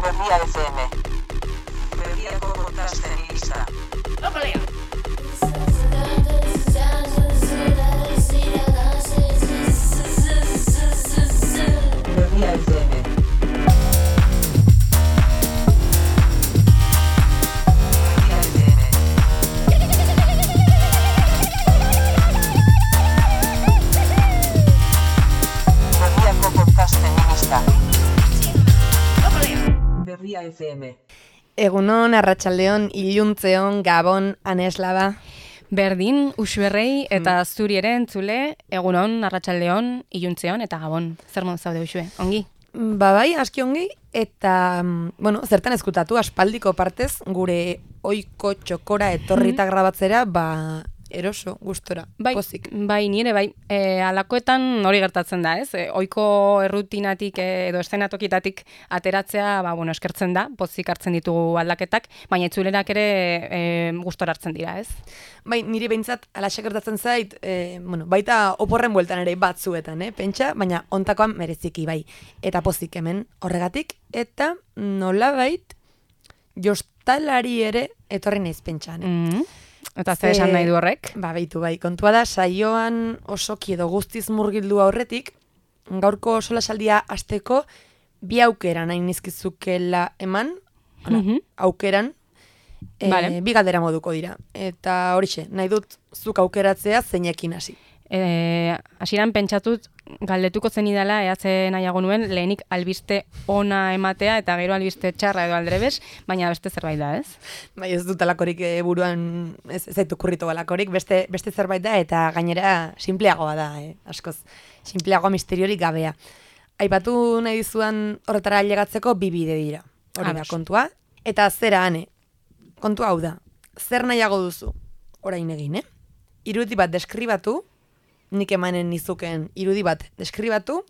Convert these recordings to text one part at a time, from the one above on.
Berria FM. Berriako podcasten lista. Berria FM. Berriako podcasten lista. Berria FM. Egunon, arratsaldeon, iluntzeon, gabon, aneslaba. Berdin, usuerrei eta zuri ere entzule, egunon, arratsaldeon, iluntzeon eta gabon. Zer modu zaude usue, ongi? Bai, aski ongi, eta, zertan ezkutatu, aspaldiko partez, gure oiko txokora etorrita grabatzera, eroso, gustora, pozik. Bai, nire bai, alakoetan hori gertatzen da, ez? Oiko errutinatik edo eszenatokitatik ateratzea, eskertzen da, pozik hartzen ditugu aldaketak, baina itzulerak ere gustora hartzen dira, ez? Bai, niri behintzat alaxe gertatzen zait, baita oporren bueltan ere batzuetan, pentsa, baina ontakoan mereziki bai. Eta pozik hemen horregatik, eta nolabait jostalari ere etorri naiz pentsan, Eta zer esan nahi du horrek? Beitu bai, kontua da, saioan osoki edo guztiz murgildu aurretik, gaurko solasaldia hasteko bi aukera nahi nizkizukela eman, aukeran, bi galdera moduko dira. Eta horixe, nahi dut zuk aukeratzea zeinekin hasi. Hasieran pentsatut galdetuko zenidala eatzen nahiago nuen lehenik albiste ona ematea eta gero albiste txarra edo aldrebes, baina beste zerbait da, ez? Bai, ez dut alakorik buruan, ez zaitu kurritu balakorik, beste zerbait da eta gainera simpleagoa da, askoz. Simpleagoa misteriorik gabea. Aipatu nahi dizudan horretara ailegatzeko bi bide dira. Hori da kontua. Eta zera, Ane, kontua hau da. Zer nahiago duzu? Orain egin, irudi bat deskribatu, nik emanen nizuken irudi bat deskribatu,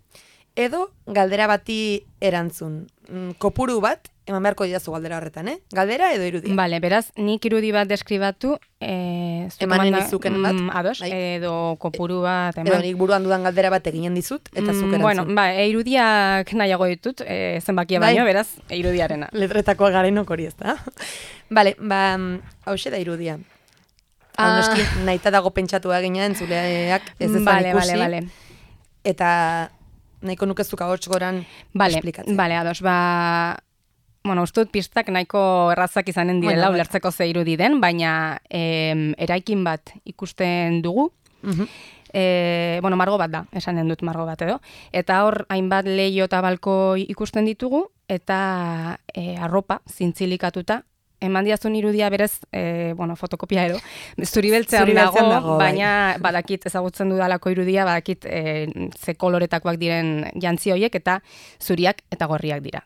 edo galdera bati erantzun. Kopuru bat, eman beharko didazu galdera horretan, Galdera edo irudia. Bale, beraz, nik irudi bat deskribatu, emanen nizuken bat. Ados, edo kopuru bat. Edo nik buruan dudan galdera bat eginen dizut, eta zuk erantzun. Irudiak nahiago ditut, zenbakia baino, beraz, irudiarena. Letretako garenok hori ez da. Bale, hauxe da irudia. Noski, nahita dago pentsatua ginen entzuleak ez ezan ikusi. Bale. Eta nahiko nukezuk ahots goran esplikatzen. Bale, ados, ustut pistak nahiko errazak izanen direla ulertzeko ze irudi den, baina eraikin bat ikusten dugu. Margo bat da, esanen dut margo bat edo. Eta hor, hainbat leiho eta balko ikusten ditugu, eta arropa zintzilikatuta, eman diazun irudia berez, fotokopia edo, zuri beltzean dago, baina badakit ezagutzen dudalako irudia, badakit ze koloretakoak diren jantzi horiek eta zuriak eta gorriak dira.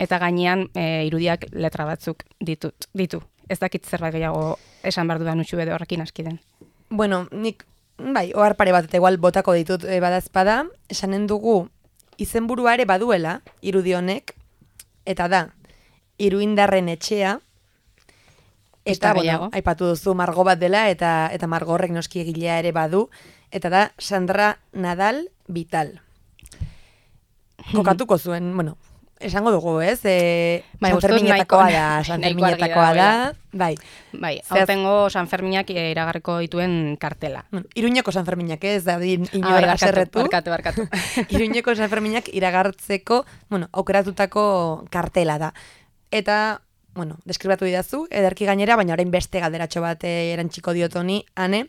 Eta gainean irudiak letra batzuk ditu. Ez dakit zerbait gehiago esan behar dudan utxu edo horrekin aski den. Nik, ohar pare bat eta igual botako ditut badazpada, esanen dugu izenburua ere baduela irudi honek, eta da, Iruindarren etxea, eta, aipatu duzu margo bat dela, eta margo horrek noski egilea ere badu, eta da Sandra Nadal Vital. Kokatuko zuen, esango dugu, ez? Sanferminetakoa da. Bai, aurtengo Sanferminak iragarriko dituen kartela. Iruñeko Sanferminak, ez da inor aserretu. Barkatu. Iruñeko Sanferminak iragartzeko, aukeratutako kartela da. Eta, deskribatu didazu, ederki gainera, baina orain beste galderatxo bat erantziko diot honi, Ane,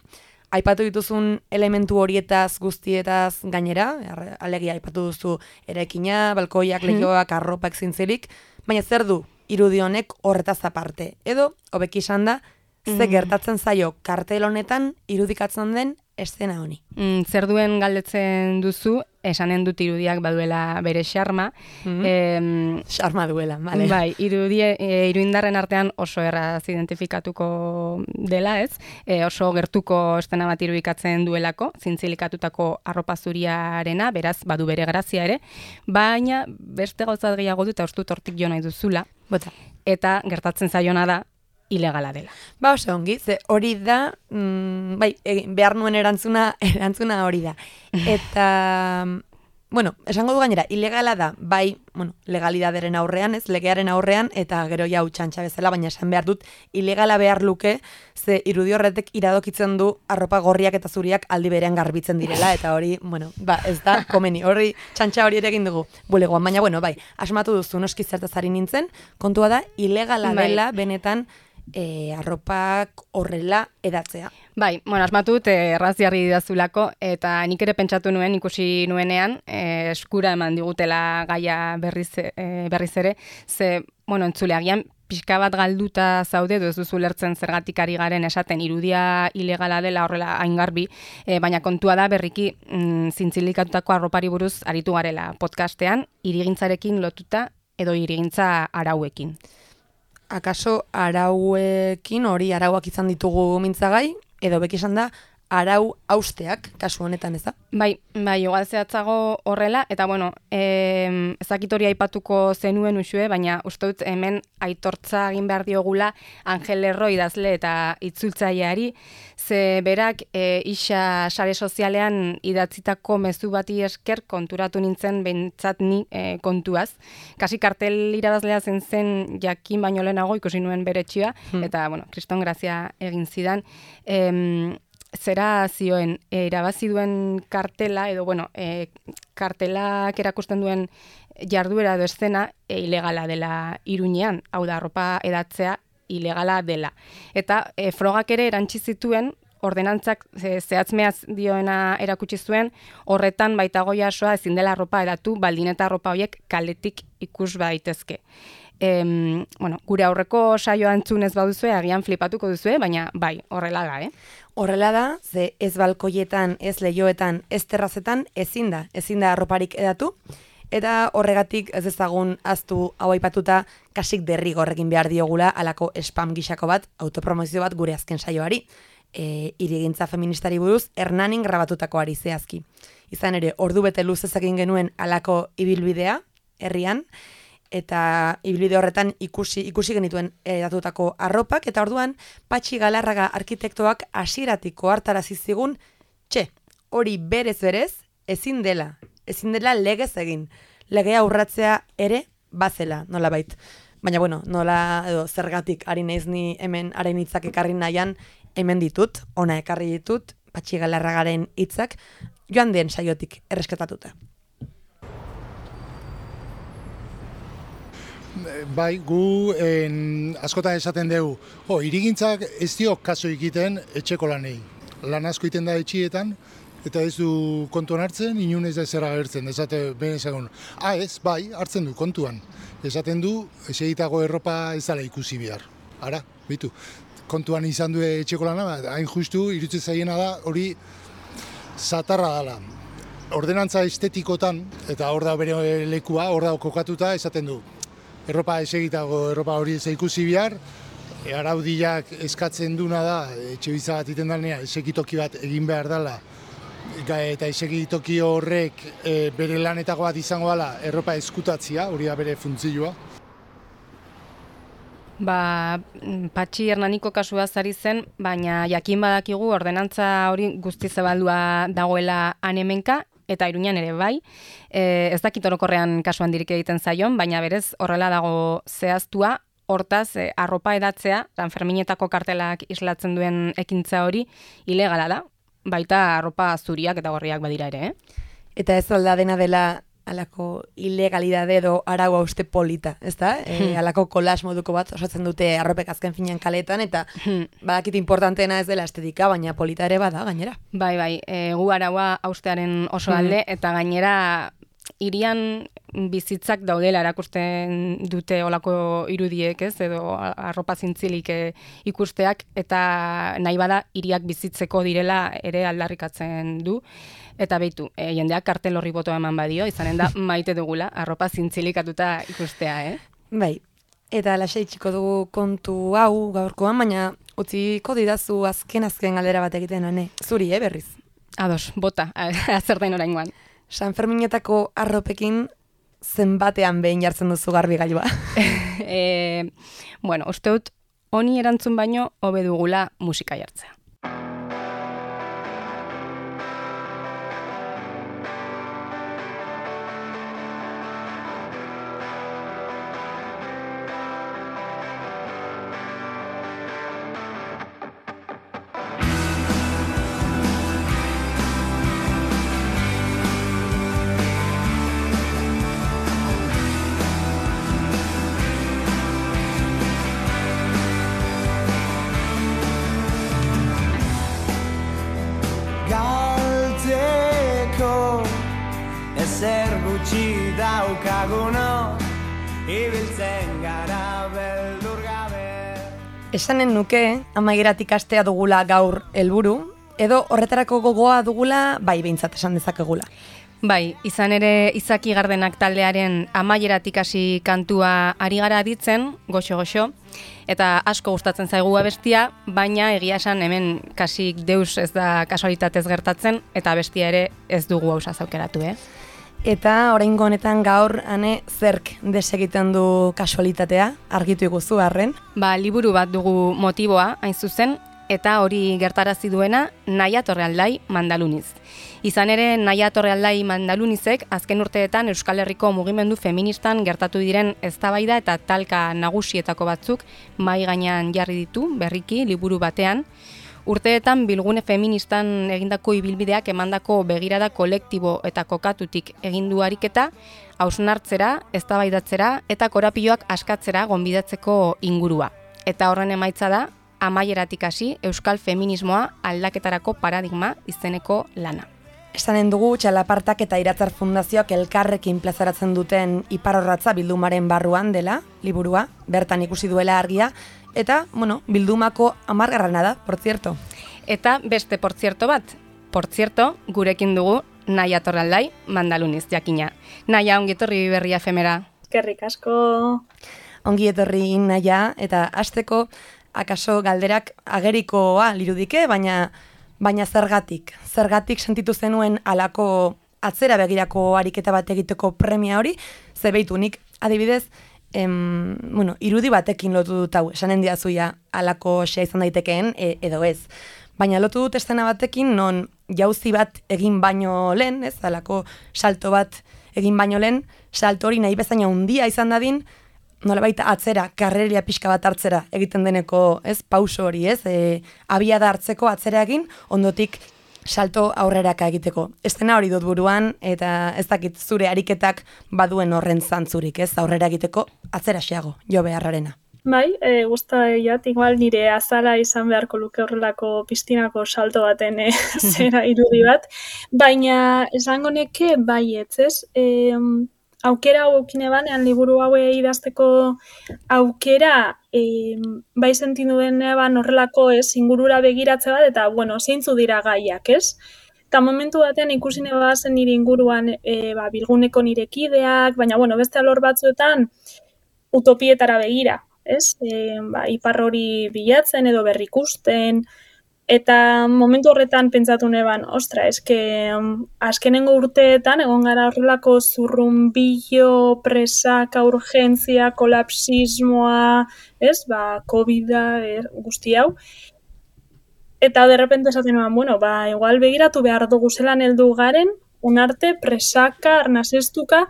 aipatu dituzun elementu horietaz guztietaz gainera, alegia aipatu duzu eraikina, balkoiak, leihoak, arropak zintzilik, baina zer du irudi honek horretaz aparte? Edo, hobeki izan da, ze gertatzen zaio kartel honetan irudikatzen den eszena honi. Zer duen galdetzen duzu, esanen dut irudiak baduela bere xarma. Xarma duela, bale. Bai, iruindarren artean oso erraz identifikatuko dela, ez? Oso gertuko estena bat irudikatzen duelako, zintzilikatutako arropa zuriarena, beraz, badu bere grazia ere, baina beste gauzat gehiago dut, eta ustut hortik jo nahi duzula. Eta gertatzen zaiona da, ilegala dela. Oso ongi, ze hori da, behar nuen erantzuna hori da. Eta, Bueno, esango du gainera, ilegala da, bai, legalidaderen aurrean, ez, legearen aurrean, eta gero jau txantxa bezala, baina esan behar dut, ilegala behar luke, ze irudi horretek iradokitzen du arropa gorriak eta zuriak aldi berean garbitzen direla, eta hori, ez da, komeni, hori txantxa hori ere egin dugu bulegoan, baina, bai, asmatu duzu, noski zertaz ari nintzen, kontua da, ilegala dela, benetan, arropak horrela edatzea. Bai, asmatut erraziarri didazulako, eta nik ere pentsatu nuen, ikusi nuenean, eskura eman digutela gaia berriz ere, ze, entzuleagian, pixka bat galduta zaude, ez duzu lertzen zergatik ari garen esaten irudia ilegala dela horrela hain garbi, baina kontua da berriki zintzilikatutako arropari buruz aritu garela podcastean, irigintzarekin lotuta edo irigintza arauekin. Akaso arauekin hori arauak izan ditugu mintzagai, edo beki esan da, arau hausteak, kasu honetan ez da? Bai, igual zehatzago horrela, eta ezakit hori aipatuko zenuen usue, baina uste dut hemen aitortza egin behar diogula Angel Lerro idazle eta itzultzaileari, ze berak isa sare sozialean idatzitako mezu bati esker konturatu nintzen behintzat ni kontuaz. Kasi kartel irabazlea zen jakin baino lehenago ikusi nuen bere txioa, eta, kriston grazia egin zidan, zera zioen, irabazi duen kartela, edo, kartelak erakusten duen jarduera edo eszena ilegala dela Iruñean, hau da, arropa edatzea ilegala dela. Eta frogak ere erantzi zituen, ordenantzak zehatzmeaz dioena erakutsi zuen, horretan baitago jasoa ezin dela arropa edatu, baldin eta arropa horiek kaletik ikus daitezke. Gure aurreko saioa entzun ez baduzue, agian flipatuko duzue, baina bai, horrela da, Horrela da, ze ez balkoietan, ez lehioetan, ez terrazetan, ezin da arroparik edatu, eta horregatik ez ezagun aztu hau aipatuta kasik derrigorrekin behar diogula alako spam gixako bat, autopromozio bat gure azken saioari, irigintza feministari buruz, Hernanin grabatutakoari zehazki. Izan ere, ordu bete luzez egin genuen alako ibilbidea, herrian, eta ibilbide horretan ikusi genituen edatutako arropak, eta orduan Patxi Galarraga arkitektoak hasieratik ohartarazi zigun, hori berez, ezin dela legez egin. Legea urratzea ere bazela, nolabait. Baina, nola edo zergatik ari naiz ni hemen haren hitzak ekarri nahian, hemen ditut, ona ekarri ditut, Patxi Galarragaren hitzak, joan den saiotik erreskatatuta. Bai, gu askotan esaten dugu, irigintzak ez dio kaso egiten etxeko lanei. Lan asko egiten da etxietan, eta ez du kontuan hartzen, inun ez da zer agertzen. Esate, behin esagun, bai, hartzen du kontuan. Esaten du, esegitako erropa ez dela ikusi behar. Ara, bitu, kontuan izan du etxeko lana, hain justu, irutzen zaiena da, hori zatarra dela. Ordenantza estetikotan, eta hor da bere lekua, hor da kokatuta, esaten du, erropa hori ez ikusi behar, araudiak eskatzen duna da, etxebizitza bat iten danean, esegitoki bat egin behar dela, eta esegitoki horrek bere lanetako bat izango dela, erropa eskutatzia, hori da bere funtzioa. Patxi Hernaniko kasua zari zen, baina jakin badakigu ordenantza hori guzti zabaldua dagoela hemenka, eta Iruñan ere bai, ez dakit orokorrean kasuan dirik egiten zaion, baina berez horrela dago zehaztua, hortaz arropa edatzea, Sanferminetako kartelak islatzen duen ekintza hori, ilegala da, baita arropa zuriak eta gorriak badira ere, Eta ez alda dena dela alako ilegalidade edo arau hauste polita, ez da? Alako kolas moduko bat osatzen dute arropek azken finean kaletan, eta badakit importanteena ez dela estetika, baina polita ere bada, gainera. Bai, gu araua haustearen oso alde, eta gainera hirian bizitzak daudela erakusten dute olako irudiek, ez, edo arropa zintzilik ikusteak, eta nahi bada hiriak bizitzeko direla ere aldarrikatzen du. Eta behitu, jendeak kartel horri botoa eman badio, izanen da maite dugula, arropa zintzilikatuta ikustea, Bai, eta lasai txiko dugu kontu hau gaurkoan, baina utziko didazu azken galdera bat egiten, zuri, berriz? Ados, bota, azertain oraingoan. Sanferminetako arropekin zenbatean behin jartzen duzu garbigailua? Uste dut, honi erantzun baino hobe dugula musika jartzea. gutxi daukaguno, ibiltzen gara beldur gabe. Esanen nuke, amaieratik astea dugula gaur helburu, edo horretarako gogoa dugula, bai behintzat esan dezakegula. Bai, izan ere Izaki Gardenak taldearen amaieratik hasi kantua ari gara aditzen, goxo-goxo, eta asko gustatzen zaigu abestia, baina egia esan hemen kasik deus ez da kasualitatez gertatzen, eta abestia ere ez dugu ausaz aukeratu, Eta oraingo honetan gaur ane zerk desegiten du kasualitatea, argitu iguzu arren. Ba, liburu bat dugu motiboa, hain zuzen, eta hori gertarazi duena Naia Torrealdai Mandaluniz. Izan ere, Naia Torrealdai Mandalunizek azken urteetan Euskal Herriko mugimendu feministan gertatu diren eztabaida eta talka nagusietako batzuk mahai gainean jarri ditu berriki liburu batean. Urteetan bilgune feministan egindako ibilbideak emandako begirada kolektibo eta kokatutik egindu ariketa, hausnartzera, eztabaidatzera eta korapioak askatzera gonbidatzeko ingurua. Eta horren emaitza da, amaieratik hasi Euskal Feminismoa aldaketarako paradigma izeneko lana. Esanen dugu Txalapartak eta Iratzar Fundazioak elkarrekin plazaratzen duten iparorratza bildumaren barruan dela, liburua, bertan ikusi duela argia, eta, bildumako 10. da, por cierto. Eta beste por cierto bat, por cierto, gurekin dugu Naia Torrealdai Mandaluniz jakina. Naia, ongi etorri Berria FMera. Eskerrik asko. Ongi etorri Naia, eta hasteko akaso galderak agerikoa lirudike, baina zergatik sentitu zenuen alako atzera begirako ariketa bat egiteko premia hori, zebeitunik adibidez, irudi batekin lotu dut hau, esanen diazuia alako xea izan daitekeen edo ez. Baina lotu dut estena batekin non jauzi bat egin baino lehen, ez, alako salto bat egin baino lehen, salto hori nahi bezaina handia izan dadin, nolabait atzera, karreria pixka bat hartzera egiten deneko, ez, pauso hori, ez, abiada hartzeko atzera egin, ondotik salto aurreraka egiteko. Estena hori dut buruan, eta ez dakit zure ariketak baduen horren zantzurik, ez, aurrera egiteko atzera xeago, jo beharrarena. Bai, guztaiat, igual nire azala izan beharko luke horrelako piztinako salto baten zera irudi bat, baina esango neke baietz, ez? Aukera hau eukine banean, liburu haue idazteko aukera, bai sentindu denean horrelako ingurura begiratze bat, eta, zeintzu dira gaiak, ez? Eta momentu batean ikusine bazen nire inguruan bilguneko nire kideak, baina, beste alor batzuetan utopietara begira, ez? Ipar hori bilatzen edo berrikusten, eta momentu horretan pentsatu neban, azkenengo urteetan egon gara horrelako zurrunbillo, presaka, urgentzia, kolapsismoa, ez? COVID-a, guzti hau. Eta derrepente esaten neban, igual begiratu behar dugu zelan heldu garen, unarte, presaka, arnazestuka,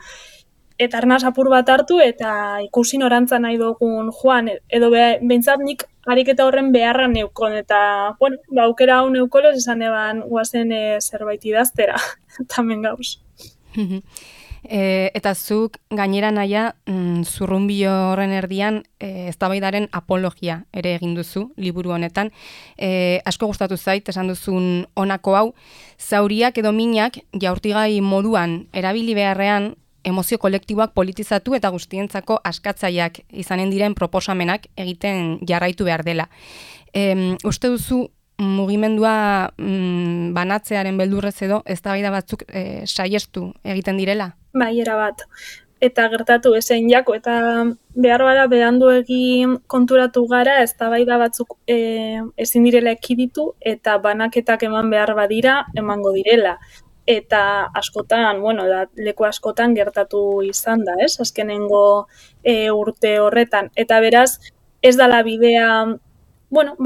eta arnaz apur bat hartu, eta ikusi norantza nahi dugun joan, edo behintzat nik ariketa horren beharra neukon, eta, aukera hau neukoloz esan eban guazen zerbait idaztera, eta men gauz. Eta zuk gainera Naia zurrunbilo horren erdian eztabaidaren apologia ere egin duzu liburu honetan. Asko gustatu zait esan duzun honako hau, zauriak edo minak jaurtigai moduan erabili beharrean emozio kolektiboak politizatu eta guztientzako askatzaileak izanen diren proposamenak egiten jarraitu behar dela. Uste duzu mugimendua banatzearen beldurrez edo eztabaida batzuk saiestu egiten direla? Bai, erabat. Eta gertatu ezein jako, eta behar bada berandu egin konturatu gara, eztabaida batzuk ezin direla ekiditu, eta banaketak eman behar badira, emango direla. Eta askotan, leku askotan gertatu izan da, ez? Azkenengo urte horretan. Eta beraz, ez dala bidea,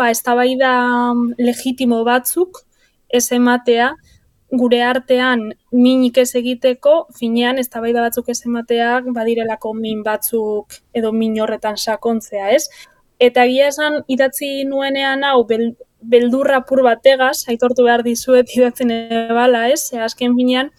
eztabaida legitimo batzuk ez ematea, gure artean minik ez egiteko, finean eztabaida batzuk ez emateak badirelako min batzuk edo min horretan sakontzea, ez? Eta egia esan idatzi nuenean hau beldurra pur bategaz, aitortu behar dizuet idatzen ebala, ez? Azken finean,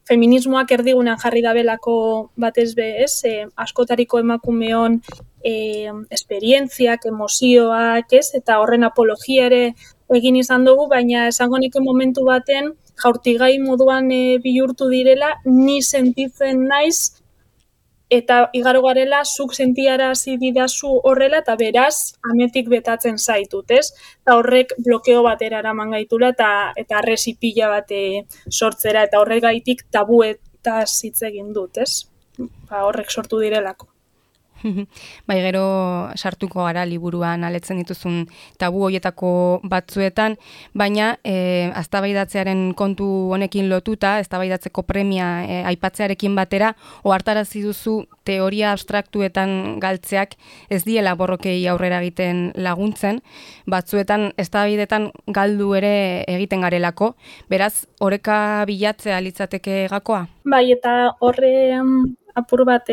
feminismoak erdigunean jarri dabelako batez be, ez? Askotariko emakumeon esperientziak, emozioak, ez? Eta horren apologia ere egin izan dugu, baina esango neke momentu baten jaurtigai moduan bihurtu direla, ni sentitzen naiz, eta igaro garela, zuk sentiarazi didazu horrela, eta beraz, ametik betatzen zaitut, ez? Eta horrek blokeo batera eraman gaitula, eta arresi pila bat sortzera, eta horregaitik tabuetaz hitz egin dut, ez? Horrek sortu direlako. Bai, gero sartuko gara liburuan aletzen dituzun tabu hoietako batzuetan, baina eztabaidatzearen kontu honekin lotuta, eztabaidatzeko premia aipatzearekin batera, ohartarazi duzu teoria abstraktuetan galtzeak ez diela borrokei aurrera egiten laguntzen, batzuetan eztabaidetan galdu ere egiten garelako, beraz, oreka bilatzea litzateke gakoa? Bai, eta horre apur bat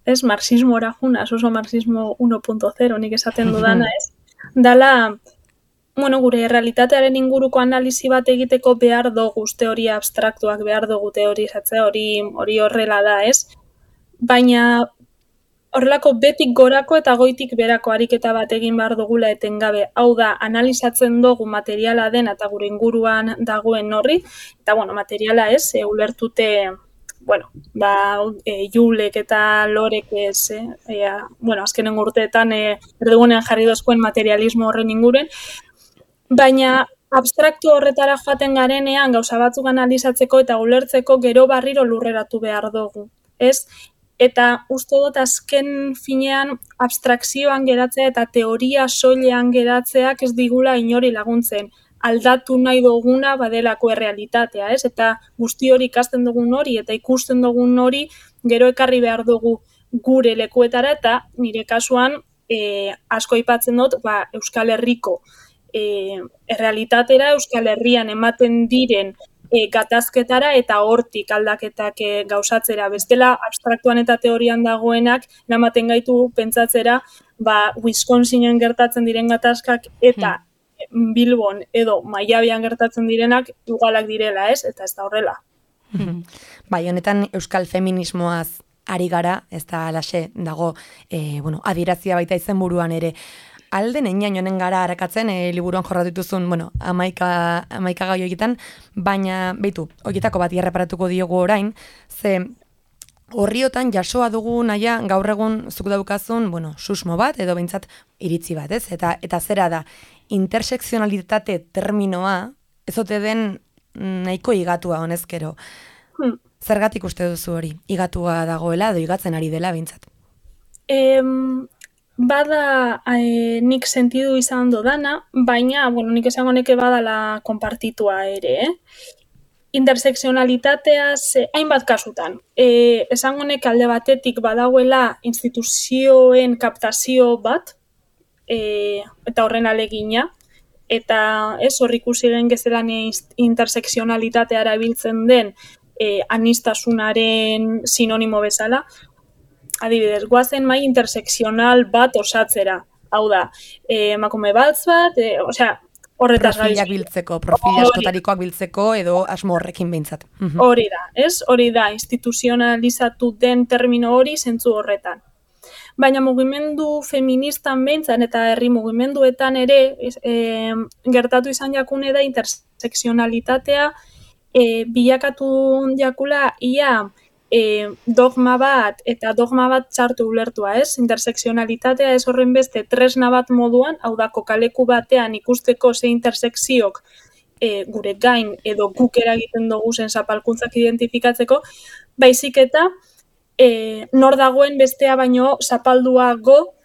ez marxismora juna, oso marxismo 1.0 nik esaten dudana, ez? Dala, gure realitatearen inguruko analisi bat egiteko behar dugu teoria abstraktuak, behar dugu teorizatzea, hori horrela da, ez? Baina horrelako betik gorako eta goitik berako ariketa bat egin behar dugula etengabe. Hau da, analizatzen dugu materiala den eta gure inguruan dagoen horri, eta materiala ez, ulertute Julek eta Lorek ez, azkenen urteetan erdigunean jarri dozkoen materialismo horren inguren, baina abstraktu horretara joaten garenean gauza batzuk analizatzeko eta ulertzeko gero barriro lurreratu behar dugu, ez? Eta uste dut azken finean abstrakzioan geratzea eta teoria soilean geratzeak ez digula inori laguntzen. Aldatu nahi duguna badelako errealitatea, ez? Eta guzti hori ikasten dugun hori eta ikusten dugun hori gero ekarri behar dugu gure lekuetara eta nire kasuan asko aipatzen dut Euskal Herriko errealitatera, Euskal Herrian ematen diren gatazketara eta hortik aldaketak gauzatzera. Bestela, abstraktuan eta teorian dagoenak namaten gaitu pentsatzera Wisconsinen gertatzen diren gatazkak eta Bilbon edo Maiabian gertatzen direnak igualak direla, ez? Eta ez da horrela. Bai, honetan euskal feminismoaz ari gara, ez da alaxe dago, adierazia baita izenburuan ere. Alden einain honen gara harakatzen, liburuan jorratu dituzun, 11 gai horietan, baina, beitu, horietako bat erreparatuko diogu orain, ze horriotan jasoa dugu naia gaur egun zuk daukazun, susmo bat, edo behintzat iritzi bat, ez? Eta zera da, intersekzionalitate terminoa, ez ote den nahiko igatua honezkero. Zergatik uste duzu hori? Igatua dagoela edo igatzen ari dela behintzat? Bada nik sentidu izan dodana, baina nik esango neke badala konpartitua ere, intersekzionalitateaz hainbat kasutan. Esango nek alde batetik badagoela instituzioen kaptazio bat, eta horren alegina, eta hor ikusi gen gezelan intersekzionalitatea erabiltzen den anistasunaren sinonimo bezala. Adibidez, goazen mai intersekzional bat osatzera. Hau da, emakume baltz bat, horretaz profilak biltzeko, profil askotarikoak biltzeko edo asmo horrekin behintzat. Hori da, ez? Hori da, instituzionalizatu den termino hori zentzu horretan. Baina mugimendu feministan behintzan eta herri mugimenduetan ere gertatu izan jakune da intersekzionalitatea bilakatu jakula ia dogma bat eta dogma bat txartu ulertua, ez? Intersekzionalitatea ez horren beste tresna bat moduan, hau da kokaleku batean ikusteko ze intersekziok gure gain edo guk eragiten dugu zen zapalkuntzak identifikatzeko, baizik eta nor dagoen bestea baino zapalduago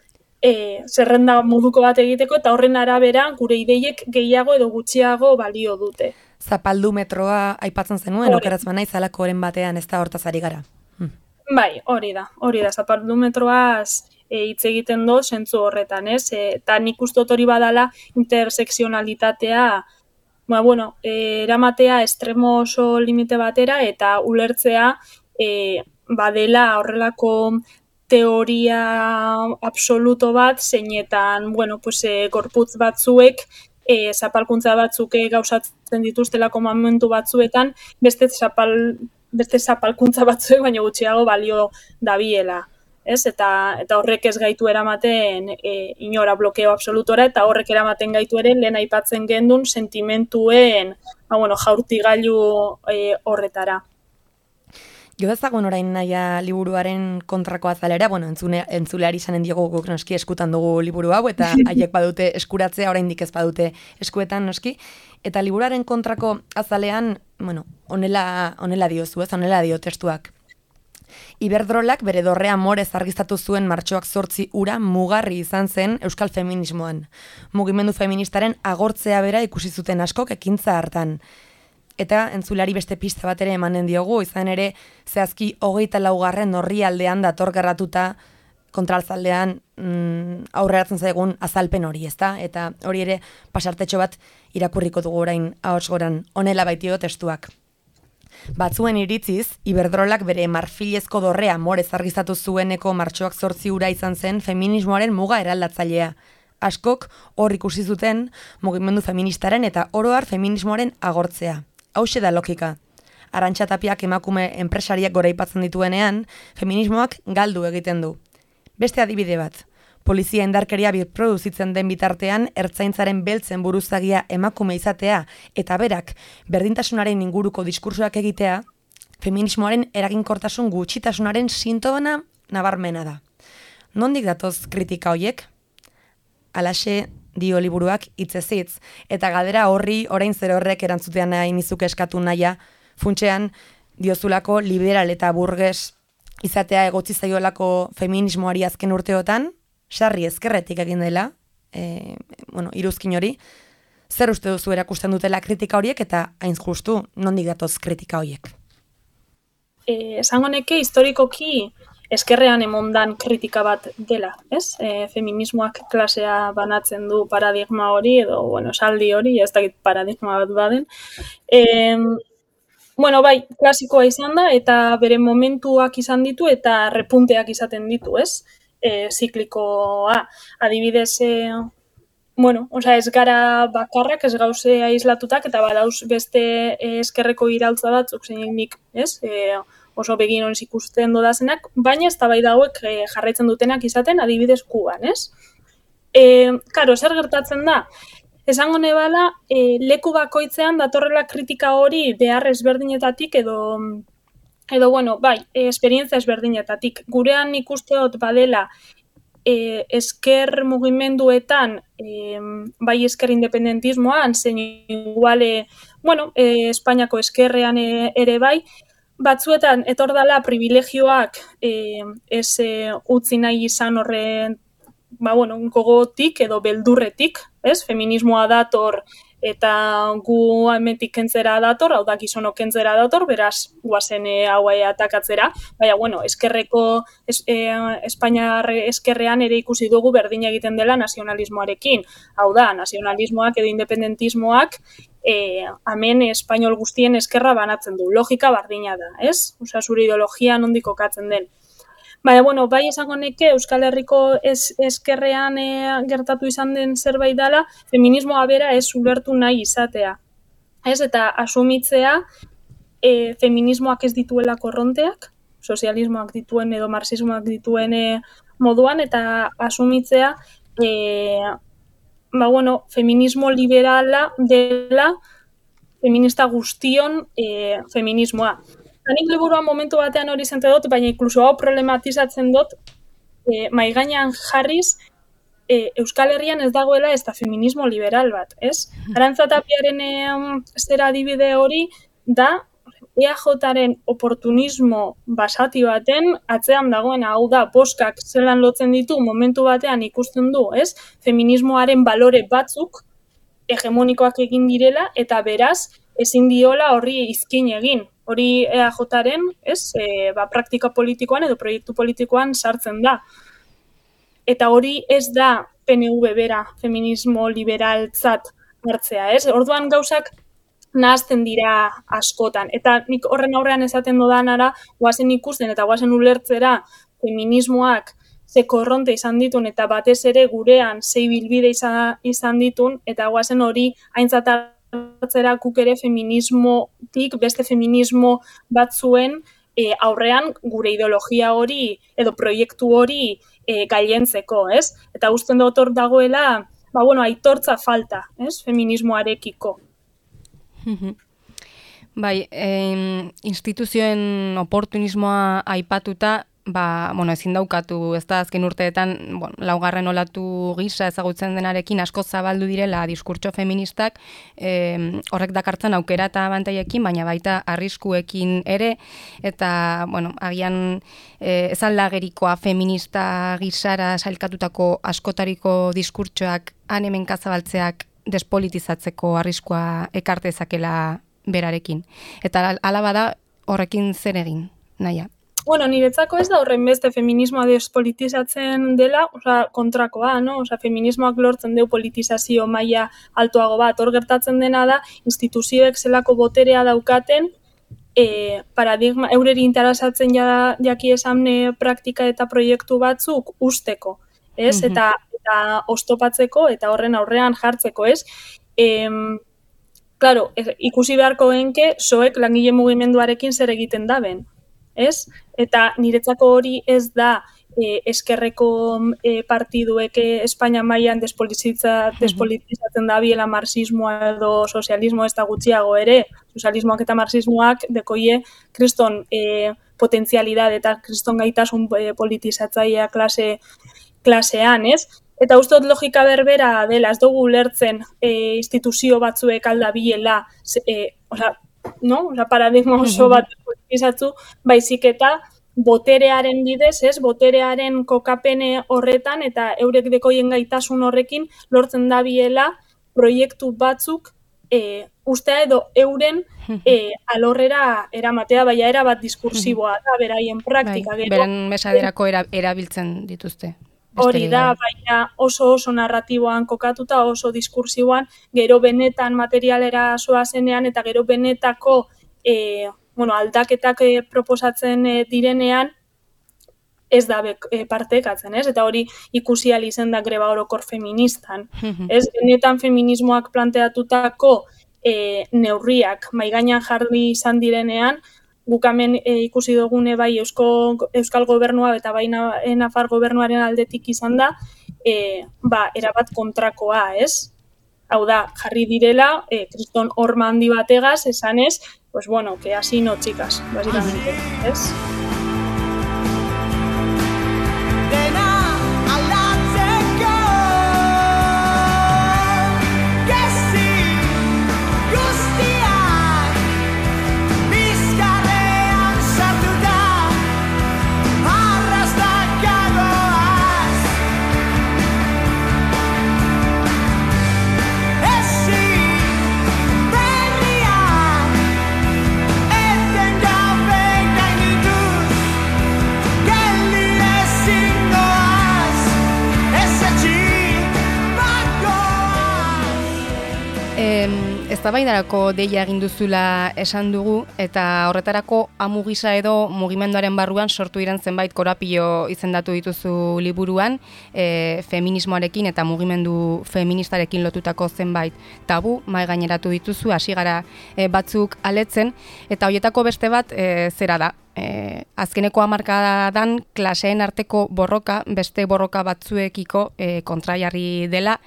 zerrenda moduko bat egiteko eta horren arabera gure ideiek gehiago edo gutxiago balio dute. Zapaldumetroa aipatzen zenuen, okeraz banaiz alakoren batean ez da hortaz ari gara. Bai, hori da, zapaldumetroaz hitz egiten do zentzu horretan, ez? Eta nik uste hori badala intersekzionalitatea eramatea estremo oso limite batera eta ulertzea badela horrelako teoria absoluto bat, zeinetan, gorputz batzuek, zapalkuntza batzuk gauzatzen dituztelako momentu batzuetan, beste zapalkuntza batzuek, baina gutxiago balio dabiela. ez? Eta horrek ez gaitu eramaten inora blokeo absolutora, eta horrek eramaten gaitu ere lehen aipatzen gendun sentimentuen jaurtigailu horretara. Jo dezagun orain naia liburuaren kontrako azalera, entzuleari izanen diogu guk noski eskutan dugu liburu hau, eta haiek badute eskuratzea, oraindik ez badute eskuetan noski, eta liburuaren kontrako azalean, honela diozu ez, honela dio testuak. Iberdrolak bere dorrea morez argiztatu zuen martxoak 8 ura mugarri izan zen euskal feminismoan. Mugimendu feministaren agortzea bera ikusi zuten askok ekintza hartan. Eta entzulari beste pista bat ere emanen diogu, izan ere zehazki 24. orrialdean dator garratuta kontralzaldean aurreratzen zaigun azalpen hori, ezta? Eta hori ere pasartetxo bat irakurriko dugu orain ahots goran, honela baitio testuak. Batzuen iritziz, Iberdrolak bere marfilezko dorrea morez argiztatu zueneko martxoak 8 ura izan zen feminismoaren muga eraldatzailea. Askok hor ikusi zuten mugimendu feministaren eta oro har feminismoaren agortzea. Hauxe da logika. Arantxa Tapiak emakume enpresariak goraipatzen dituenean, feminismoak galdu egiten du. Beste adibide bat, polizia indarkeria birproduzitzen den bitartean ertzaintzaren beltzen buruzagia emakume izatea eta berak berdintasunaren inguruko diskursoak egitea, feminismoaren eraginkortasun gutxitasunaren sintoma nabarmena da. Nondik datoz kritika hoiek? Alaxe dio liburuak hitzez hitz, eta galdera horri orain zer horrek erantzutean nahi nizuke eskatu nahia, funtsean diozulako liberal eta burges izatea egotzi zaiolako feminismoari azken urteotan, sarri ezkerretik egin dela, iruzkin hori, zer uste duzu erakusten dutela kritika horiek eta hain justu, nondik datoz kritika horiek? Esango neke historikoki eskerrean emondan kritika bat dela, ez? Feminismoak klasea banatzen du paradigma hori, edo, esaldi hori, ez dakit paradigma bat baden. Bai, klasikoa izan da, eta bere momentuak izan ditu, eta repunteak izaten ditu, ez? Ziklikoa, adibidez, ez gara bakarrak, ez gauze aislatutak, eta badauz beste eskerreko iraultza batzuk, zeinik, ez? Oso begin honiz ikusten dodazenak, baina ez tabaida hauek jarraitzen dutenak izaten adibidez Kuban, ez? Karo, zer gertatzen da? Esango nebala, leku bakoitzean datorrela kritika hori behar ezberdinetatik edo esperientzia ezberdinetatik. Gurean ikusteot badela esker mugimenduetan, bai esker independentismoan, zein iguale, Espainiako eskerrean ere bai, batzuetan etor dela privilegioak ez utzi nahi izan horren gogotik edo beldurretik, ez? Feminismoa dator eta gu hemendik kentzera dator, hau da gizonok kentzera dator, beraz guazen haua atakatzera, baina eskerreko Espainiar eskerrean ere ikusi dugu berdina egiten dela nazionalismoarekin. Hau da, nazionalismoak edo independentismoak hemen espainol guztien eskerra banatzen du. Logika berdina da, ez? Zure ideologia nondik kokatzen den. Baina, bai esango neke Euskal Herriko eskerrean gertatu izan den zerbait dela, feminismoa bera ez ulertu nahi izatea. Ez, eta asumitzea feminismoak ez dituela korronteak, sozialismoak dituen edo marxismoak dituen moduan, eta asumitzea feminismo liberala dela feminista guztion feminismoa. Hanik liburuan momentu batean hori zente dut, baina inkluso hau problematizatzen dut, maigainan jarriz Euskal Herrian ez dagoela ez da feminismo liberal bat, ez? Arantza Tapiaren zera adibide hori da EAJaren oportunismo basati baten atzean dagoena, hau da, boskak zelan lotzen ditu momentu batean ikusten du, ez? Feminismoaren balore batzuk hegemonikoak egin direla eta beraz ezin diola horri izkin egin. Hori EAJaren, praktika politikoan edo proiektu politikoan sartzen da. Eta hori ez da PNV bera feminismo liberaltzat hartzea, ez? Orduan gauzak nahazten dira askotan. Eta nik horren aurrean esaten dodanara, guazen ikusten eta guazen ulertzera feminismoak ze korronte izan ditun eta batez ere gurean zei bilbide izan ditun eta guazen hori aintzat hartzera guk ere feminismotik, beste feminismo batzuen aurrean gure ideologia hori edo proiektu hori gailentzeko, ez? Eta usten dut hor dagoela, aitortza falta, ez? Feminismoarekiko. Bai, instituzioen oportunismoa aipatuta, ezin daukatu, ez da azken urteetan, laugarren olatu gisa ezagutzen denarekin asko zabaldu direla diskurtso feministak, horrek dakartzen aukera eta abantaiekin, baina baita arriskuekin ere, eta, agian ez aldagerikoa feminista gisara sailkatutako askotariko diskurtsoak han hemen kazabaltzeak despolitizatzeko arriskua ekartezakela berarekin. Eta hala bada horrekin zer egin, naia? Niretzako ez da horren beste feminismoa despolitizatzen dela, kontrakoa, no? Feminismoak lortzen deu politizazio maila altuago bat. Hor gertatzen dena da, instituzioek zelako boterea daukaten, paradigma, eureri interesatzen jaki esamne praktika eta proiektu batzuk usteko, ez? Eta oztopatzeko eta horren aurrean jartzeko, ez? Claro, ikusi beharko genke, soek langile mugimenduarekin zer egiten daben, ez? Eta niretzako hori ez da eskerreko partiduek Espainia mailan despolitizatzen dabiela marxismoa edo sozialismo ez da gutxiago ere. Sozialismoak eta marxismoak dekoie kriston potentzialidad eta kriston gaitasun politizatzailea klasean, ez? Eta ustot logika berbera dela, ez dugu ulertzen instituzio batzuek aldabiela, paradigma oso bat politizatzu, baizik eta boterearen bidez, ez? Boterearen kokapene horretan eta eurek dekoien gaitasun horrekin lortzen dabiela proiektu batzuk ustea edo euren alorrera eramatea, baina erabat diskursiboa da, beraien praktika. Beren mesaderako erabiltzen dituzte. Hori da, baina oso narratiboan kokatuta, oso diskursiboan, gero benetan materialera zoazenean eta gero benetako aldaketak proposatzen direnean ez da partekatzen, ez? Eta hori ikusi ahal izan da greba orokor feministan. Ez benetan feminismoak planteatutako neurriak maigainan jarri izan direnean, guk hemen ikusi dugune bai Euskal Gobernua eta bai Nafar Gobernuaren aldetik izan da, erabat kontrakoa, ez? Hau da, jarri direla, kriston horma handi bategaz, esanez, pues bueno, que así no, chicas, básicamente, ez? Eztabaidarako deia egin duzula esan dugu, eta horretarako amu gisa edo mugimenduaren barruan sortu iran zenbait korapilo izendatu dituzu liburuan, feminismoarekin eta mugimendu feministarekin lotutako zenbait tabu mahai gaineratu dituzu, hasi gara batzuk aletzen, eta horietako beste bat zera da. Azkeneko hamarkadan klaseen arteko borroka, beste borroka batzuekiko kontraiarri dela,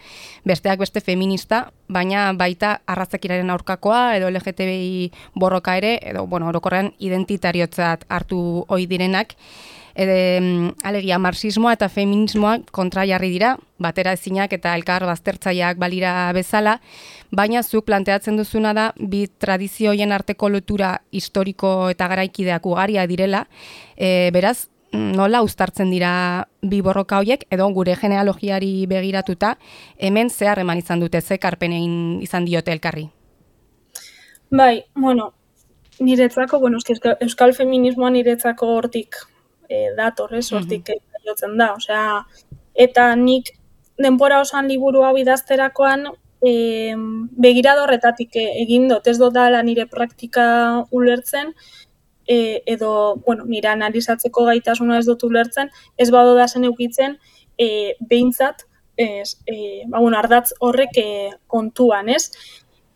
besteak beste feminista, baina baita arrazakiraren aurkakoa edo LGTBI borroka ere, edo orokorrean identitariotzat hartu ohi direnak, alegia marxismoa eta feminismoa kontraiarri dira, batera ezinak eta elkar baztertzaileak balira bezala, baina zuk planteatzen duzuna da bi tradizioien arteko lotura historiko eta garaikideak ugaria direla, beraz, nola uztartzen dira bi borroka horiek, edo gure genealogiari begiratuta, hemen zehar eman izan dute, ze ekarpen izan diote elkarri? Bai, niretzako, euskal feminismoa niretzako hortik dator, hortik jotzen da, eta nik denbora osan liburu hau idazterakoan begirada horretatik egin dut, ez dut dala nire praktika ulertzen, edo, nire analizatzeko gaitasuna ez dut ulertzen, ez bado da zen eukitzen, behintzat, ardatz horrek kontuan, ez?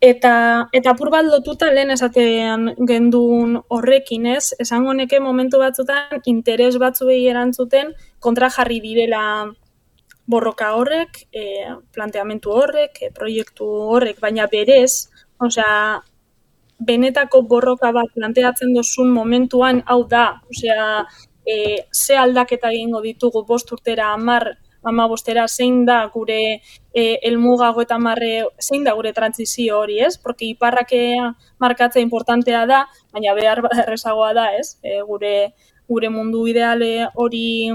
Eta apur bat lotuta lehen esatean gendun horrekin, ez? Esango neke momentu batzutan interes batzuei erantzuten kontra jarri direla borroka horrek, planteamentu horrek, proiektu horrek, baina berez, osea, benetako borroka bat planteatzen dozun momentuan hau da, osea, ze aldaketa egingo ditugu 5 urtera 15 zein da gure helmuga 30 zein da gure trantsizio hori, ez? Porque iparrak markatzea importantea da, baina behar errezagoa da, ez? Gure mundu ideale hori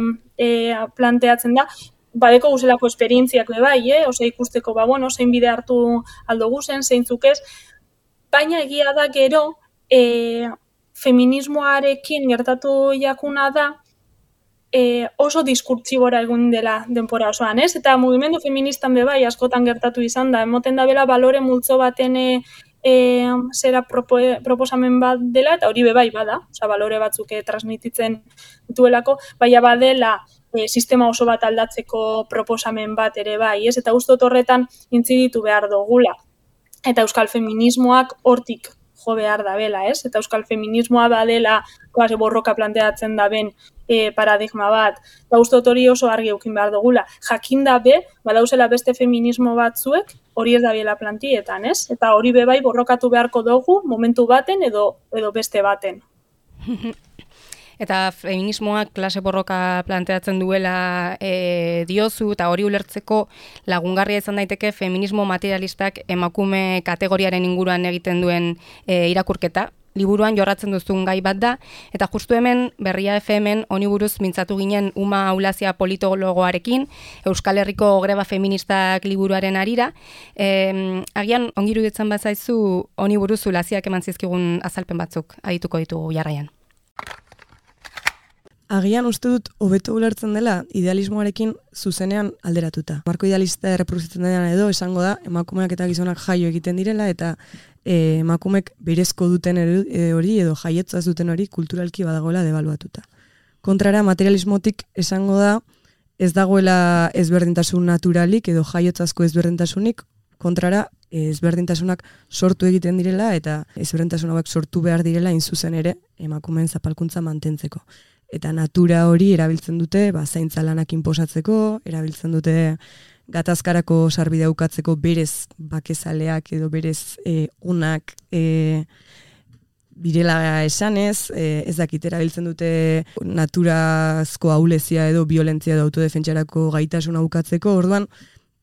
planteatzen da. Badeko guzelako esperientziak bai, osea ikusteko, bueno, zein bide hartu aldo guzen, zeintzuk ez, baina egia da gero feminismoarekin gertatu jakuna da oso diskurtsibora egun dela denpora osoan, ez? Eta mugimendu feministan bai askotan gertatu izan da, emoten da bela balore multzo baten zera proposamen bat dela, eta hori bai bada, osea balore batzuk transmititzen duelako, baina badela sistema oso bat aldatzeko proposamen bat ere bai, ez? Eta uste horretan intziditu behar dugula. Eta euskal feminismoak hortik jo behar da bela, ez? Eta euskal feminismoa badela borroka planteatzen da ben paradigma bat. Eta uste hori oso argi eukin behar dugula. Jakinda badauzela beste feminismo batzuek hori ez da biela plantietan, ez? Eta hori bai borrokatu beharko dugu momentu baten edo beste baten. Eta feminismoak klase borroka planteatzen duela diozu, eta hori ulertzeko lagungarria izan daiteke feminismo materialistak emakume kategoriaren inguruan egiten duen irakurketa. Liburuan jorratzen duzun gai bat da, eta justu hemen Berria FM-en honi buruz mintzatu ginen Uma Aulazia politologoarekin, Euskal Herriko greba feministak liburuaren harira. Agian ongi iruditzen bazaizu honi buruz Ulaziak eman zizkigun azalpen batzuk adituko ditugu jarraian. Agian uste dut hobeto ulertzen dela idealismoarekin zuzenean alderatuta. Marko idealista erreproduzitzen denean edo esango da emakumeak eta gizonak jaio egiten direla eta emakumek berezko duten hori edo jaietzaz duten hori kulturalki badagoela debaluatuta. Kontrara materialismotik esango da ez dagoela ezberdintasun naturalik edo jaiotzazko ezberdintasunik, kontrara ezberdintasunak sortu egiten direla eta ezberdintasun hauek sortu behar direla inzuzen ere emakumeen zapalkuntza mantentzeko. Eta natura hori erabiltzen dute, zaintza lanak inposatzeko, erabiltzen dute gatazkarako sarbidea ukatzeko berez bakezaleak edo berez onak birela esanez, ez dakit erabiltzen dute naturazko ahulezia edo violentzia edo autodefentsarako gaitasuna ukatzeko, orduan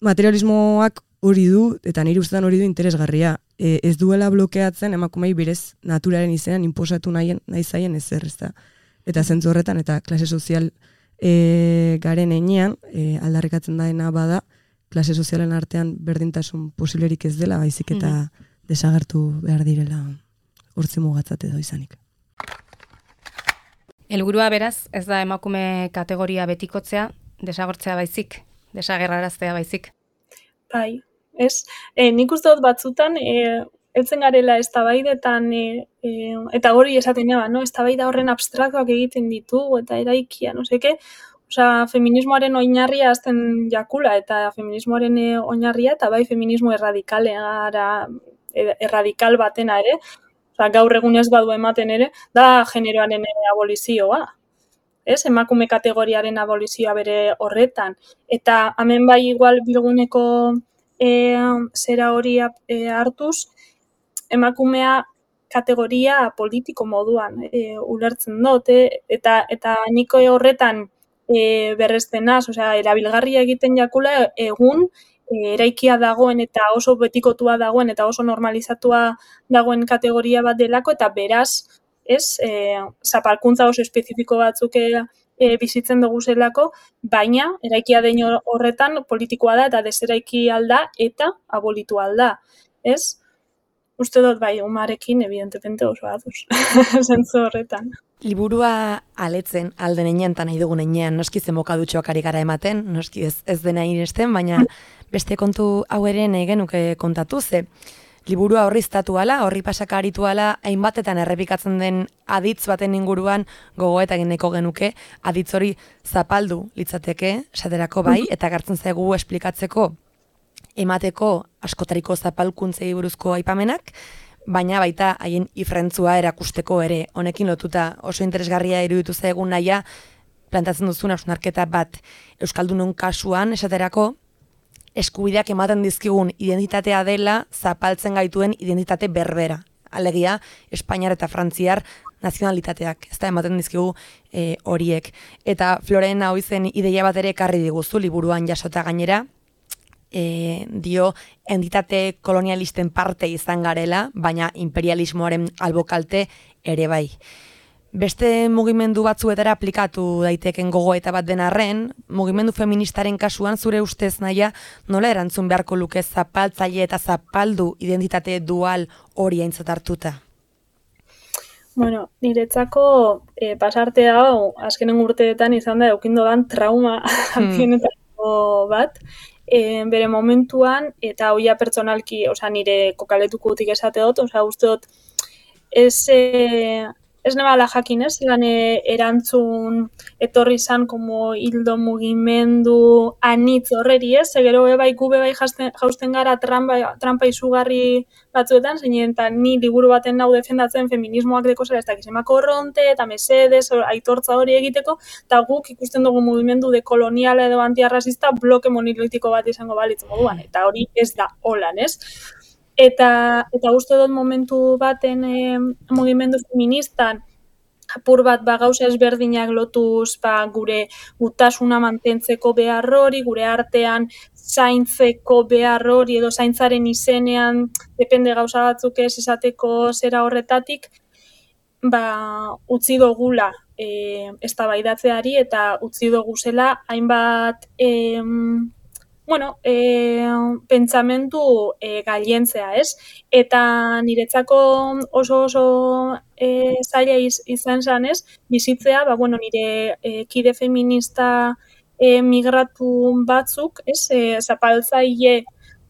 materialismoak hori du, eta nire ustetan hori du interesgarria. Ez duela blokeatzen emakumei berez naturaren izenan inposatu nahi zaien ezer, ez da. Eta zentzu horretan, eta klase sozial garen enean, aldarrikatzen daena bada, klase sozialen artean berdintasun posiblerik ez dela, baizik eta desagertu behar direla hortzi mugatzat edo izanik. Helburua beraz, ez da emakume kategoria betikotzea, desagertzea baizik, desagerraraztea baizik. Bai, ez? Nik uste dut batzutan, heltzen garela eztabaidetan eta hori esaten eba, no? Eztabaida horren abstraktuak egiten ditugu eta eraikia, no seke. Osea, feminismoaren oinarria azten jakula eta feminismoaren oinarria eta bai feminismo erradikal batena ere, osea, gaur egun ez badu ematen ere, da generoaren abolizioa. Ez, emakume kategoriaren abolizioa bere horretan. Eta hemen bai igual bilguneko zera hori hartuz, emakumea kategoria politiko moduan ulertzen dut, eta niko horretan berreztenaz, osea, erabilgarria egiten jakula egun eraikia dagoen eta oso betikotua dagoen eta oso normalizatua dagoen kategoria bat delako, eta beraz, ez, zapalkuntza oso espezifiko batzuk bizitzen dugu zelako, baina eraikia den horretan politikoa da eta deseraiki alda eta abolitu alda, ez? Uste dut bai, Umarekin evidentemente oso aduz, zentzu horretan. Liburua aletzen alden enean eta nahi dugun enean, noski zenbokadutxoak ari gara ematen, noski ez dena iresten, baina beste kontu hau ere nahi genuke kontatu ze. Liburua horri iztatu ala, horri pasaka aritu ala, hainbatetan errepikatzen den aditz baten inguruan gogoeta nahiko genuke, aditz hori zapaldu litzateke, esaterako bai, eta gartzen zaigu esplikatzeko emateko askotariko zapalkuntzei buruzko aipamenak, baina baita haien ifrentzua erakusteko ere. Honekin lotuta oso interesgarria iruditu zaigun nahia plantatzen duzun hausnarketa bat Euskaldunon kasuan esaterako eskubideak ematen dizkigun identitatea dela zapaltzen gaituen identitate berbera. Alegia, Espainiar eta Frantziar nazionalitateak, ez da ematen dizkigu horiek. Eta Floren hau izen ideia bat ere ekarri diguzu, liburuan jasota gainera, dio entitate kolonialisten parte izan garela, baina imperialismoaren albokalte ere bai. Beste mugimendu batzuetara aplikatu daiteken gogoeta bat den arren, mugimendu feministaren kasuan zure ustez nahia nola erantzun beharko luke zapaltzaile eta zapaldu identitate dual hori aintzat hartuta? Bueno, niretzako pasarte hau azkenen urteetan izan da eukindo dan trauma handienetako bat, bere momentuan, eta hoia pertsonalki, nire kokaletukutik esate dut, uste dut, ez nebala jakin, zelan erantzun etorri zan como hildo mugimendu anitz horreri, gero bai gube bai jausten gara trampa izugarri batzuetan, zeinen eta ni liburu baten nau defendatzen feminismoak deko zela ez dakizemako ronte, eta mesedez, aitortza hori egiteko, eta guk ikusten dugu mugimendu dekoloniala edo antiarrazista bloke monolitiko bat izango balitz moduan, eta hori ez da holan, ez? Eta uste dut momentu baten mugimendu feministan apur bat gauza ezberdinak lotuz gure gutasuna mantentzeko behar hori, gure artean zaintzeko behar hori edo zaintzaren izenean depende gauza batzuk ez esateko zera horretatik, utzi dogula eztabaidatzeari eta utzi doguzela hainbat pentsamentu gailentzea, ez? Eta niretzako oso zaila izan zen, ez? Bizitzea, nire kide feminista migratu batzuk, ez? Zapaltzaile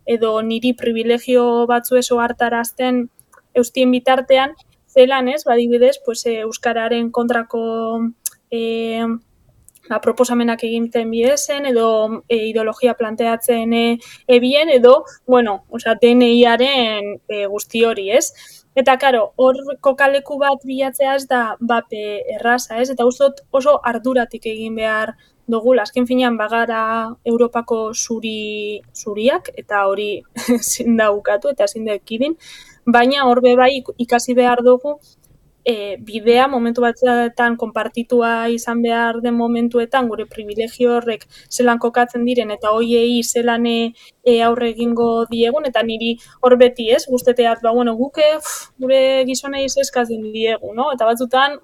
edo niri privilegio batzu eso hartarazten eustien bitartean, zelan, ez? Badibidez, euskararen kontrako proposamenak egiten biezen, edo ideologia planteatzen ebien, edo, DNI-aren guzti hori, ez? Eta, karo, hor kokaleku bat bilatzea ez da bape erraza, ez? Eta oso arduratik egin behar dugula. Azken finean, bagara Europako zuriak, eta hori ezin da ukatu, eta ezin da ekidin, baina hor bai ikasi behar dugu bidea momentu batzuetan konpartitua izan behar den momentuetan gure privilegio horrek zelan kokatzen diren eta hoiei zelan aurre egingo diegun eta niri hor beti ez, guzteteat, guke gure gizonei zeskatzen diegu, no? Eta batzutan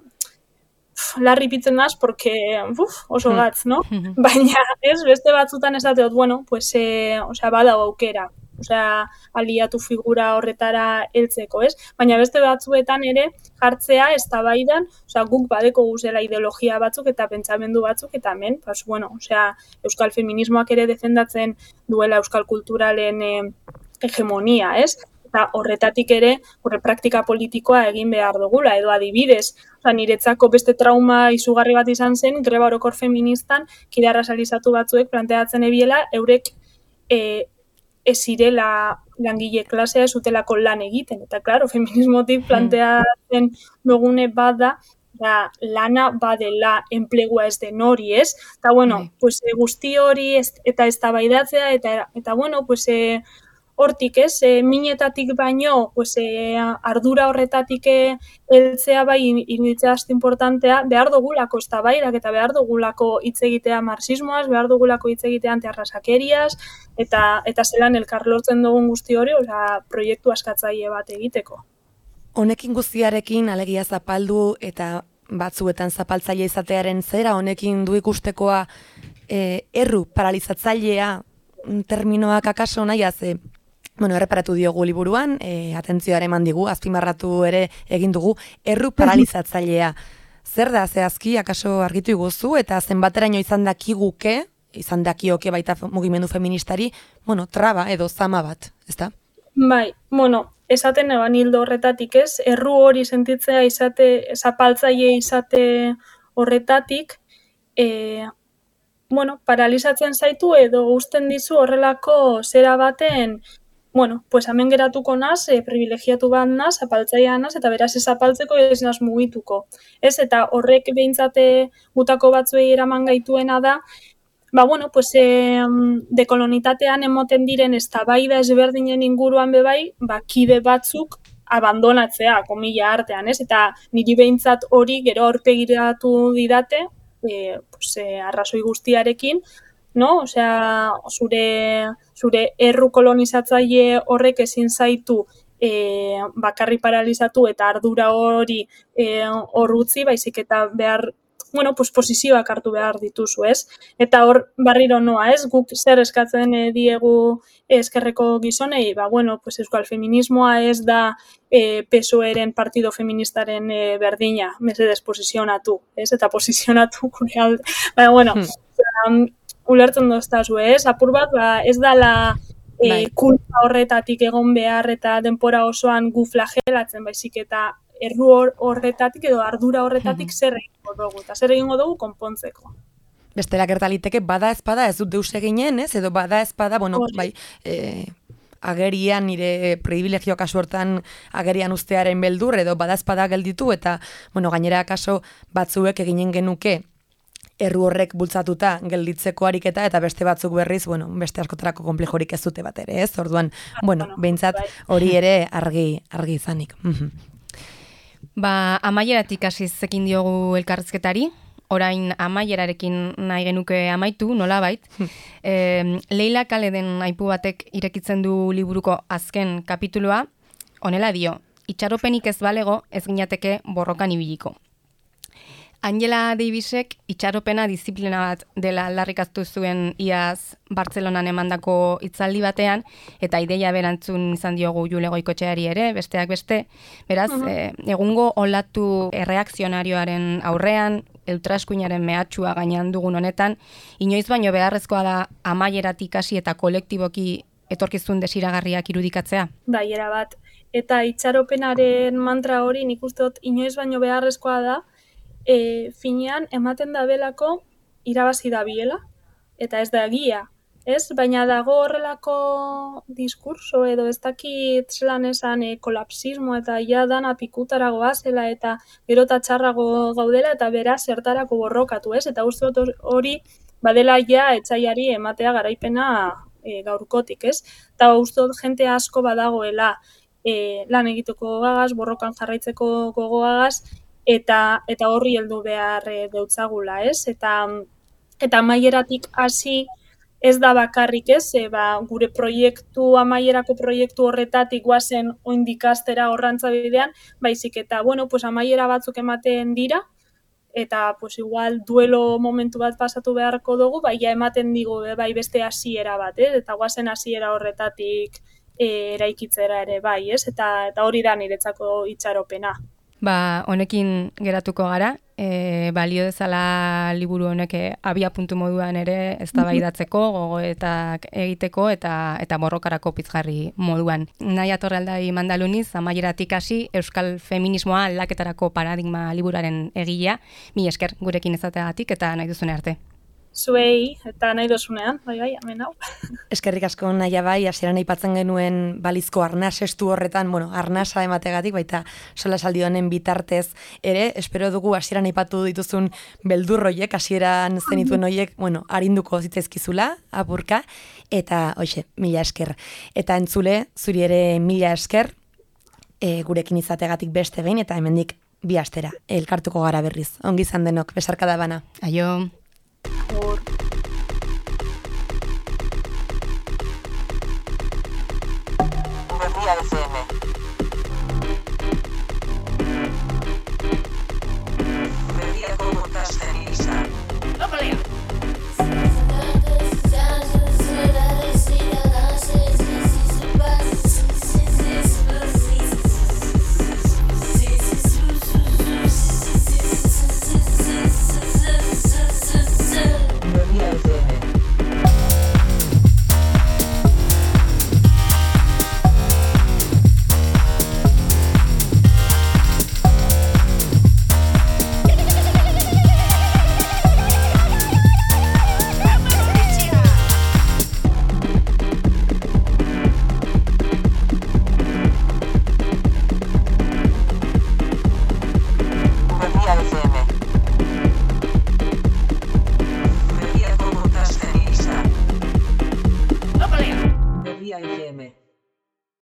larri pitzen naz, porque oso gatz, no? Baina ez, beste batzutan esateot, bada aukera. Aliatu figura horretara heltzeko, ez? Baina beste batzuetan ere jartzea eztabaidan, guk badeko guzela ideologia batzuk eta pentsamendu batzuk eta hemen, euskal feminismoak ere defendatzen duela euskal kulturalen hegemonia, ez? Eta horretatik ere gure praktika politikoa egin behar dugula, edo adibidez, niretzako beste trauma izugarri bat izan zen, greba orokor feministan, kide arrazalizatu batzuek planteatzen ebiela, eurek ez zirela langile klasea ez utelako lan egiten. Eta, klaro, feminismotik planteatzen dugune bada, lana badela enplegua ez den hori, ez? Eta, guzti hori eta eztabaidatzea, eta hortik, ez? Minetatik baino, ardura horretatik heltzea bai iruditzea asko importantea, behar dugulako eztabaidak eta behar dugulako hitz egitea marxismoaz, behar dugulako hitz egitea antiarrazakeriaz, eta zelan elkarlortzen dugun guzti hori, proiektu askatzaile bat egiteko. Honekin guztiarekin alegia zapaldu eta batzuetan zapaltzaile izatearen zera honekin du ikustekoa erru paralizatzailea terminoak akaso nahiaz, erreparatu diogu liburuan, atentzioa eman digu, azpimarratu ere egin dugu, erru paralizatzailea. Zer da, zehazki, akaso argitu iguzu, eta zenbateraino izan dakioke baita mugimendu feministari, traba edo zama bat, ezta? Bai, esaten eban hildo horretatik ez, erru hori sentitzea zapaltzaile izate horretatik, paralizatzen zaitu edo uzten dizu horrelako zera baten, pues hemen geratuko naz, privilegiatu bat naz, apaltzaia naz, eta beraz ez apaltzeko ez naz mugituko. Ez, eta horrek behintzate gutako batzuei eraman gaituena da, pues dekolonitatean emoten diren eztabaida ezberdinen inguruan bebai, kide batzuk abandonatzea, komilla artean, ez? Eta niri behintzat hori gero aurpegiratu didate, arrazoi guztiarekin, no? Osea, zure erru kolonizatzaile horrek ezin zaitu bakarri paralizatu eta ardura hori hor utzi, baizik eta behar, pues posizioak hartu behar dituzu, ez? Eta hor barriro noa, ez? Guk zer eskatzen diegu ezkerreko gizonei, pues euskal feminismoa ez da PSOE-ren partido feministaren berdina, mesedez posizionatu, ez? Eta posizionatu gure alde. Ulertzen doztazu, ez? Apur bat, ez dala kulpa horretatik egon behar eta denpora osoan gu flagelatzen, baizik eta erru horretatik edo ardura horretatik zer egingo dugu, eta zer egingo dugu konpontzeko. Bestela gertaliteke bada ezpada ez dut deus eginen, ez? Edo bada ezpada, agerian nire privilegio kasu hortan agerian ustearen beldur, edo bada ezpada gelditu, eta gainera kaso batzuek eginen genuke erru horrek bultzatuta gelditzeko ariketa, eta beste batzuk berriz, beste askotarako konplejorik ez dute bat ere, ez? Orduan, behintzat hori ere argi izanik. Amaieratik hasi zekin diogu elkarrizketari, orain amaierarekin nahi genuke amaitu, nolabait. Leila Kaleden aipu batek irekitzen du liburuko azken kapitulua, honela dio, itxaropenik ez balego ez ginateke borrokan ibiliko. Angela Davisek itxaropena disiplina bat dela aldarrikaztu zuen iaz Bartzelonan emandako hitzaldi batean, eta ideia berantzun izan diogu Jule Goikotxeari ere, besteak beste. Beraz, egungo olatu erreakzionarioaren aurrean, ultraeskuinaren mehatxua gainean dugun honetan, inoiz baino beharrezkoa da amaieratik hasi eta kolektiboki etorkizun desiragarriak irudikatzea. Bai, erabat. Eta itxaropenaren mantra hori nik uste dut inoiz baino beharrezkoa da, finean ematen da belako irabazi da biela, eta ez da egia, ez? Baina dago horrelako diskurso edo ez dakit zelan esan kolapsismo eta ja dana pikutara goazela eta gero eta txarrago gaudela eta beraz zertarako borrokatu, ez? Eta uste dut hori badela ja etxaiari ematea garaipena gaurkotik, ez? Eta uste dut jente asko badagoela lan egiteko gagaz, borrokan jarraitzeko gogoagaz, eta horri heldu behar deutzagula, ez? Eta amaieratik hasi ez da bakarrik, ez? Gure proiektu, amaierako proiektu horretatik guazen oindikastera horrantza bidean, baizik eta, pues amaiera batzuk ematen dira, eta pues igual duelo momentu bat pasatu beharko dugu, baina ematen digu bai beste hasiera bat, eta guazen hasiera horretatik eraikitzera ere bai, ez? Eta hori da niretzako itxaropena. Honekin geratuko gara, balio dezala liburu honek abia puntu moduan ere eztabaidatzeko, gogoetak egiteko eta borrokarako pizgarri moduan. Nahi atorraldai Mandaluniz, amaieratik hasi, euskal feminismoa aldaketarako paradigma liburaren egilea, mi esker gurekin izateagatik eta nahi duzune arte. Zuei, eta nahi dozunean, bai, hemen hau. Eskerrik asko naia bai, hasieran aipatzen genuen balizko arnas estu horretan, arnasa emategatik, baita solasaldi honen bitartez ere, espero dugu hasieran aipatu dituzun beldurroiek, hasieran zenituen hoiek, arinduko zitzaizkizula, apurka, eta hoxe, mila esker. Eta entzule, zuri ere mila esker, gurekin izategatik beste behin, eta hemendik bi astera, elkartuko gara berriz. Ongi izan denok, besarkada bana. Aio. Berria FM.